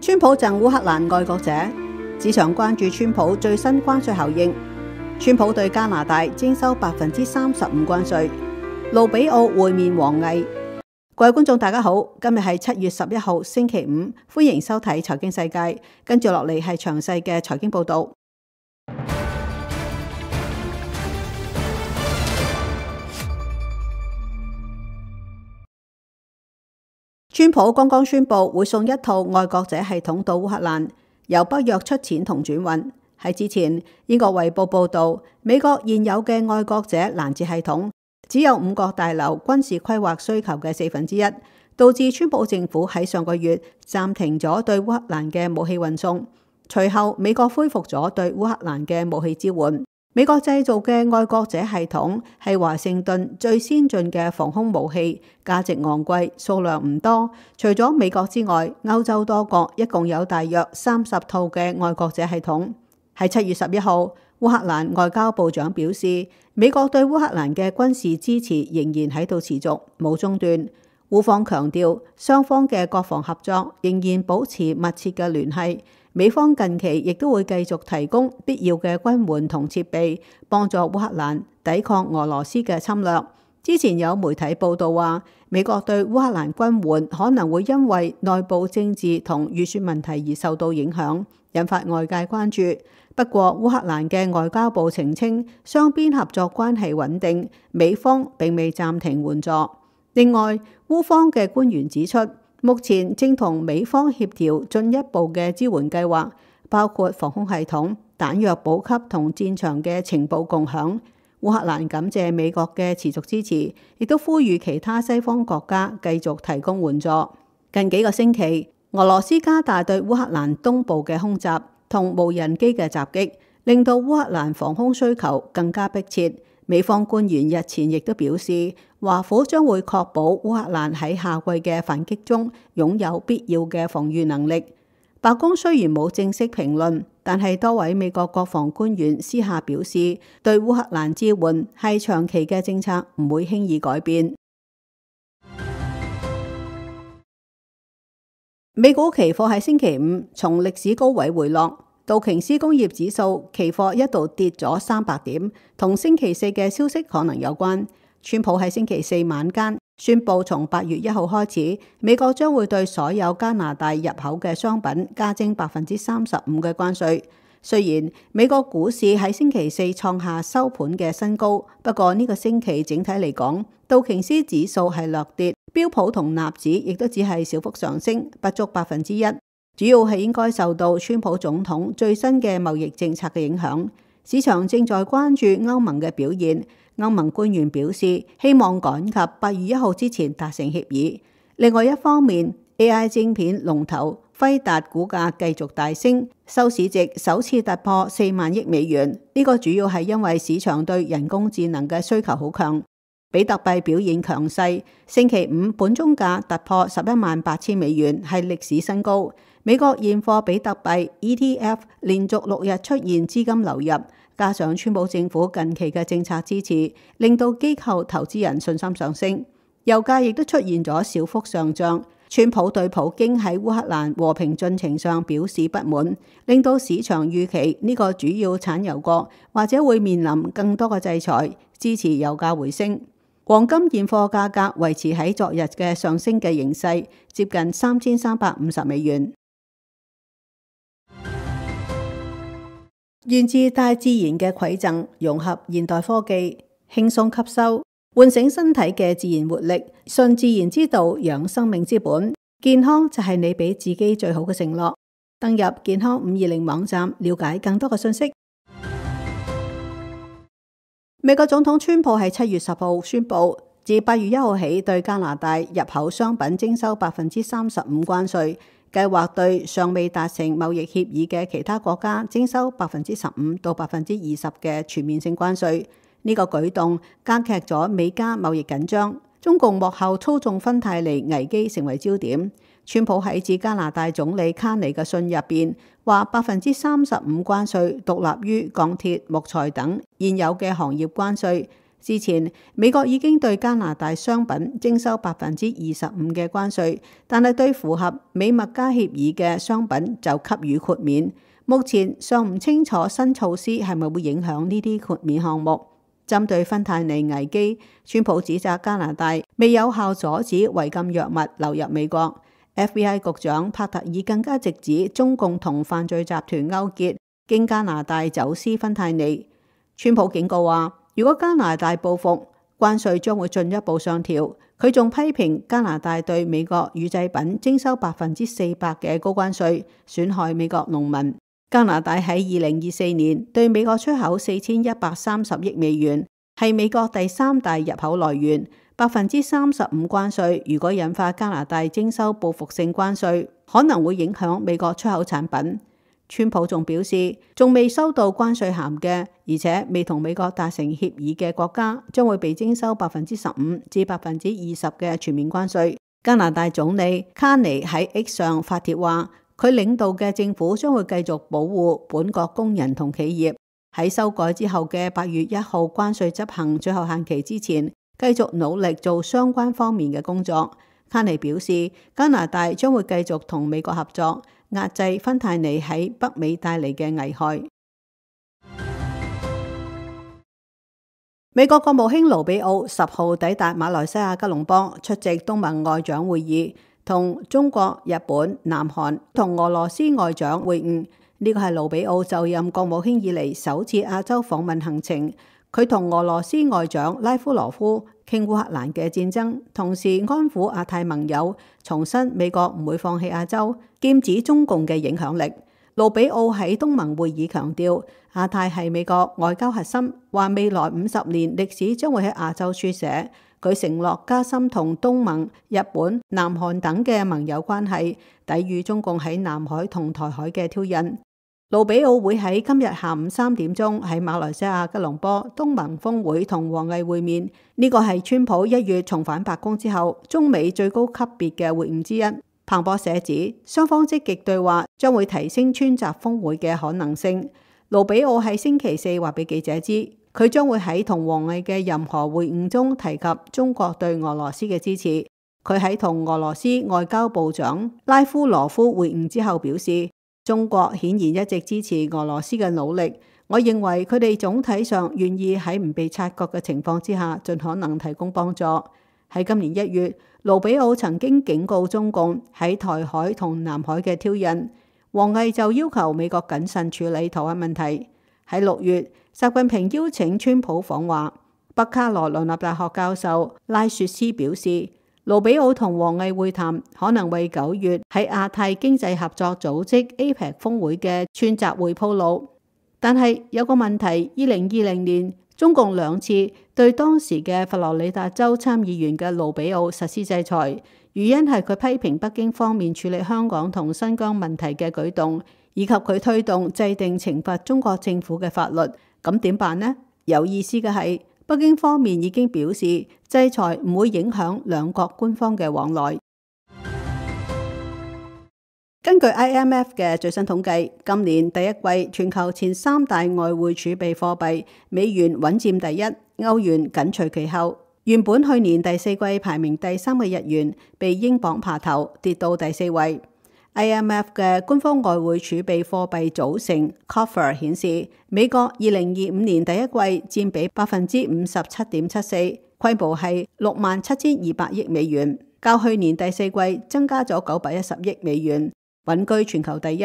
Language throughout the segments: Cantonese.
川普贈烏克蘭愛國者，市場關注川普最新關稅效應。川普對加拿大徵收35%關稅。盧比奧會面王毅。各位觀眾大家好，今日係7月11號星期五，歡迎收睇財經世界。跟住落嚟係詳細嘅財經報道。川普剛剛宣布會送一套愛國者系統到烏克蘭，由北約出錢同轉運。喺之前，英國衛報報道，美國現有嘅愛國者攔截系統只有5角大樓軍事規劃需求嘅1/4，導致川普政府喺上個月暫停咗對烏克蘭嘅武器運送。隨後，美國恢復咗對烏克蘭嘅武器支援。美國製造嘅愛國者系統係華盛頓最先進嘅防空武器，價值昂貴，數量唔多。除咗美國之外，歐洲多國一共有大約30套嘅愛國者系統。喺7月11號，烏克蘭外交部長表示，美國對烏克蘭嘅軍事支持仍然喺度持續，冇中斷。烏方強調，雙方嘅國防合作仍然保持密切嘅聯繫。美方近期亦都會繼續提供必要嘅軍援同設備，幫助烏克蘭抵抗俄羅斯嘅侵略。之前有媒體報道話，美國對烏克蘭軍援可能會因為內部政治同預算問題而受到影響，引發外界關注。不過，烏克蘭嘅外交部澄清，雙邊合作關係穩定，美方並未暫停援助。另外，烏方嘅官員指出，目前正同美方協調進一步嘅支援計劃，包括防空系統、彈藥補給同戰場嘅情報共享。烏克蘭感謝美國嘅持續支持，亦都呼籲其他西方國家繼續提供援助。近幾個星期，俄羅斯加大對烏克蘭東部嘅空襲同無人機嘅襲擊，令到烏克蘭防空需求更加迫切。美方官員日前亦都表示，華府將會確保烏克蘭喺夏季嘅反擊中擁有必要嘅防禦能力。白宮雖然冇正式評論，但係多位美國國防官員私下表示，對烏克蘭支援係長期嘅政策，唔會輕易改變。美股期貨喺星期五從歷史高位回落。道瓊斯工業指數期貨一度跌咗300點，同星期四嘅消息可能有關。川普喺星期四晚間宣布，從8月1號開始，美國將會對所有加拿大入口嘅商品加徵35%嘅關稅。雖然美國股市喺星期四創下收盤嘅新高，不過呢個星期整體嚟講，道瓊斯指數係略跌，標普同納指亦都只係小幅上升，不足1%。主要係應該受到川普總統最新嘅貿易政策嘅影響。市場正在關注歐盟嘅表現。歐盟官員表示，希望趕及8月1號之前達成協議。另外一方面， AI 晶片龍頭輝達股價繼續大升，收市值首次突破4萬億美元。呢個主要係因為市場對人工智能嘅需求好強。比特幣表現強勢，星期五盤中價突破118000美元，係歷史新高。美國現貨比特幣 ETF 連續6日出現資金流入，加上川普政府近期嘅政策支持，令到機構投資人信心上升。油價亦都出現咗小幅上漲。川普對普京喺烏克蘭和平進程上表示不滿，令到市場預期呢個主要產油國或者會面臨更多嘅制裁，支持油價回升。黃金現貨價格維持喺昨日嘅上升嘅形勢，接近3350美元。源自大自然嘅饋贈，融合現代科技，輕鬆吸收，喚醒身體嘅自然活力，順自然之道，養生命之本。健康就係你俾自己最好嘅承諾。登入健康520網站，了解更多嘅信息。美國總統川普喺7月10號宣布，自8月1號起對加拿大入口商品徵收35%關稅。計劃對尚未達成貿易協議嘅其他國家徵收15%到20%嘅全面性關稅。呢個舉動加劇咗美加貿易緊張，中共幕後操縱芬太尼危機成為焦點。川普喺致加拿大總理卡尼嘅信入邊話，35%關稅獨立於鋼鐵、木材等現有嘅行業關稅，之前美國已經對加拿大商品徵收25%嘅關稅，但係對符合美墨加協議嘅商品就給予豁免。目前尚唔清楚新措施係咪會影響呢啲豁免項目。針對芬太尼危機，川普指責加拿大未有效阻止違禁藥物流入美國。FBI 局長帕特爾更加直指中共同犯罪集團勾結，經加拿大走私芬太尼。川普警告話，如果加拿大報復，關稅將會進一步上調。佢仲批評加拿大對美國乳製品徵收400%嘅高關稅，損害美國農民。加拿大喺2024年對美國出口4130億美元，係美國第3大入口來源。35%關稅如果引發加拿大徵收報復性關稅，可能會影響美國出口產品。川普仲表示，仲未收到關稅函嘅，而且未同美國達成協議嘅國家，將會被徵收15%至20%嘅全面關稅。加拿大總理卡尼喺 X 上發帖話，佢領導嘅政府將會繼續保護本國工人同企業。喺修改之後嘅8月1號關稅執行最後限期之前，繼續努力做相關方面嘅工作。卡尼表示，加拿大將會繼續同美國合作，壓制芬太尼喺北美帶嚟嘅危害。美國國務卿盧比奧10號抵達馬來西亞吉隆坡，出席東盟外長會議，同中國、日本、南韓同俄羅斯外長會晤。呢個係盧比奧就任國務卿以嚟首次亞洲訪問行程。佢同俄羅斯外長拉夫羅夫傾烏克蘭嘅戰爭，同時安撫亞太盟友，重申美國唔會放棄亞洲，劍指中共嘅影響力。盧比奧喺東盟會議強調，亞太係美國外交核心，話未來50年歷史將會喺亞洲書寫。佢承諾加深同東盟、日本、南韓等嘅盟友關係，抵禦中共喺南海同台海嘅挑釁。盧比奧會喺今日下午3點鐘喺馬來西亞吉隆坡東盟峰會同王毅會面。呢個係川普1月重返白宮之後，中美最高級別嘅會晤之一。彭博社指，雙方積極對話將會提升川習峰會嘅可能性。盧比奧喺星期4話俾記者知，佢將會喺同王毅嘅任何會晤中提及中國對俄羅斯嘅支持。佢喺同俄羅斯外交部長拉夫羅夫會晤之後表示，中國顯然一直支持俄羅斯嘅努力，我認為佢哋總體上願意喺唔被察覺嘅情況之下，盡可能提供幫助。喺今年1月，盧比奧曾經警告中共喺台海同南海嘅挑釁，王毅就要求美國謹慎處理台灣問題。喺6月，習近平邀請川普訪華，北卡羅來納大學教授拉雪斯表示，盧比奧同王毅會談可能為9月喺亞太經濟合作組織 APEC 峰會嘅串集會鋪路。但係有個問題，2020年中共2次對當時嘅佛羅里達州參議員嘅盧比奧實施制裁，原因係佢批評北京方面處理香港同新疆問題嘅舉動，以及佢推動制定懲罰中國政府嘅法律。咁點辦呢？有意思嘅係，北京方面已經表示制裁唔會影響兩國官方嘅往來。根據 IMF 嘅最新統計，今年第一季全球前3大外匯儲備貨幣，美元穩佔第一，歐元緊隨其後。原本去年第4季排名第3嘅日元，被英鎊爬頭，跌到第4位。IMF 嘅官方外匯儲備貨幣組成 Coffer 顯示，美國2025年第一季佔比 57.74%， 規模係67,200億美元，較去年第4季增加咗910億美元，穩居全球第一。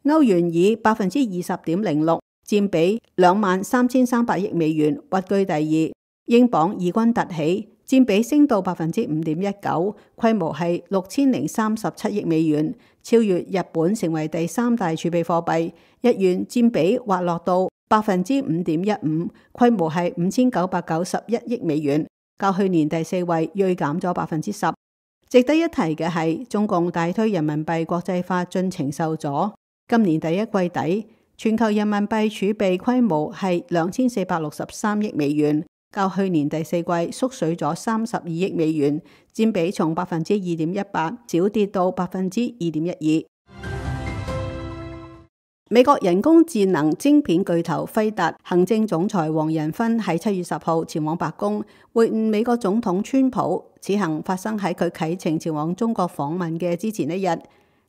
歐元以 20.06%， 佔比23,300億美元，屈居第二。英鎊異軍突起，佔比升到 5.19%， 規模係6037億美元，超越日本成為第3大儲備貨幣。日元佔比滑落到 5.15%， 規模係5991億美元，較去年第4位銳減咗 10%。值得一提嘅係，中共大推人民幣國際化進程受阻。今年第一季底，全球人民幣儲備規模係2463億美元，較去年第4季縮水咗32億美元，佔比從 2.18% 小跌到 2.12%。美國人工智能晶片巨頭輝達行政總裁黃仁勳喺7月10號前往白宮會晤美國總統川普，此行發生喺佢啟程前往中國訪問嘅之前一日。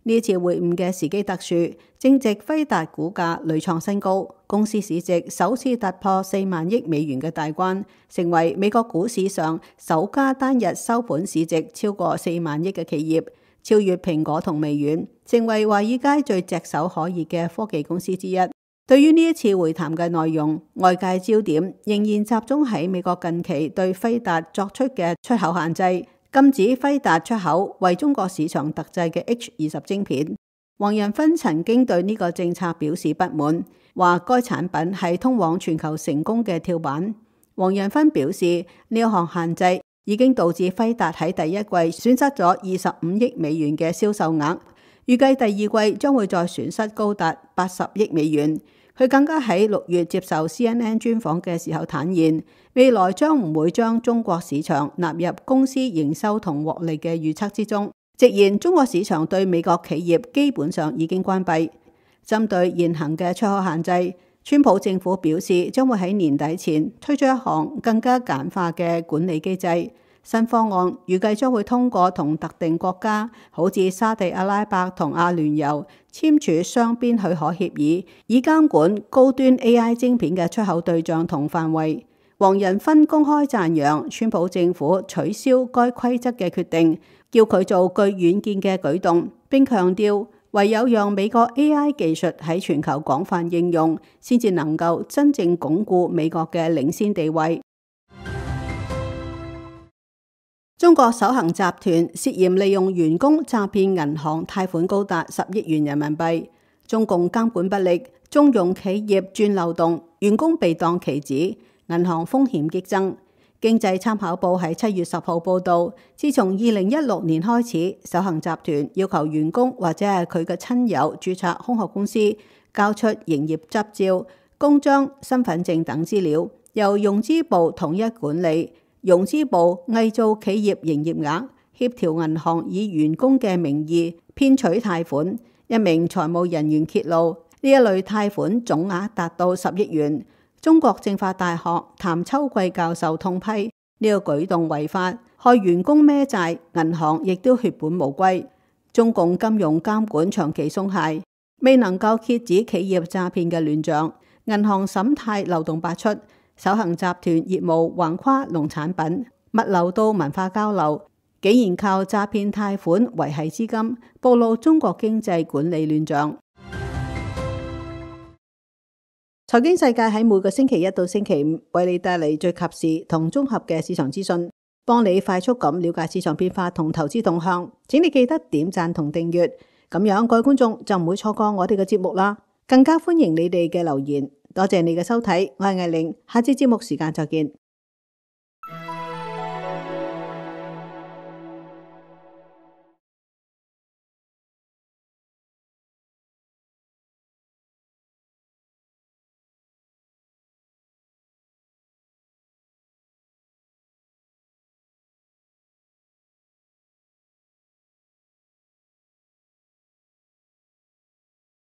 呢次會晤嘅時機特殊，正值輝達股價屢創新高，公司市值首次突破4萬億美元嘅大關，成為美國股市上首家單日收盤市值超過4萬億嘅企業，超越蘋果同微軟，成為華爾街最炙手可熱嘅科技公司之一。對於呢一次會談嘅內容，外界焦點仍然集中喺美國近期對輝達作出嘅出口限制，禁止輝達出口為中國市場特製嘅 H20 晶片。黃仁勳曾經對呢個政策表示不滿，話該產品係通往全球成功嘅跳板。黃仁勳表示，呢一項限制已經導致輝達喺第一季損失咗25億美元嘅銷售額，預計第二季將會再損失高達80億美元。佢更加喺6月接受 CNN 專訪嘅時候坦言，未來將唔會將中國市場納入公司營收同獲利嘅預測之中，直言中國市場對美國企業基本上已經關閉。針對現行嘅出口限制，川普政府表示將會喺年底前推出一項更加簡化嘅管理機制。新方案預計將會通過同特定國家，好似沙地阿拉伯同阿聯酋簽署雙邊許可協議，以監管高端 AI 晶片嘅出口對象同範圍。黃仁勳公開讚揚川普政府取消該規則嘅決定，叫佢做具遠見嘅舉動，並強調唯有讓美國 AI 技術喺全球廣泛應用，先至能夠真正鞏固美國嘅領先地位。中國首恒集團涉嫌利用員工詐騙銀行貸款高達10億元人民幣，中共監管不力，縱容企業鑽漏洞，員工被當棋子，銀行風險激增。經濟參考報喺7月10號報導，自從2016年開始，首恒集團要求員工或者係佢嘅親友註冊空殼公司，交出營業執照、公章、身份證等資料，由融資部統一管理。融資部偽造企業營業額，協調銀行以員工嘅名義騙取貸款。一名財務人員揭露，呢一類貸款總額達到10億元。中國政法大學譚秋貴教授痛批呢個舉動違法，害員工孭債，銀行亦都血本無歸。中共金融監管長期鬆懈，未能夠遏止企業詐騙嘅亂象，銀行審貸漏洞百出。首恒集團業務橫跨農產品、物流到文化交流，竟然靠詐騙貸款維繫資金，暴露中國經濟管理亂象。財經世界喺每個星期一到星期五為你帶嚟最及時同綜合嘅市場資訊，幫你快速咁了解市場變化同投資動向。請你記得點讚同訂閱，咁樣各位觀眾就唔會錯過我哋嘅節目啦。更加歡迎你哋嘅留言。多謝你嘅收睇，我係艾玲，下次節目時間再見。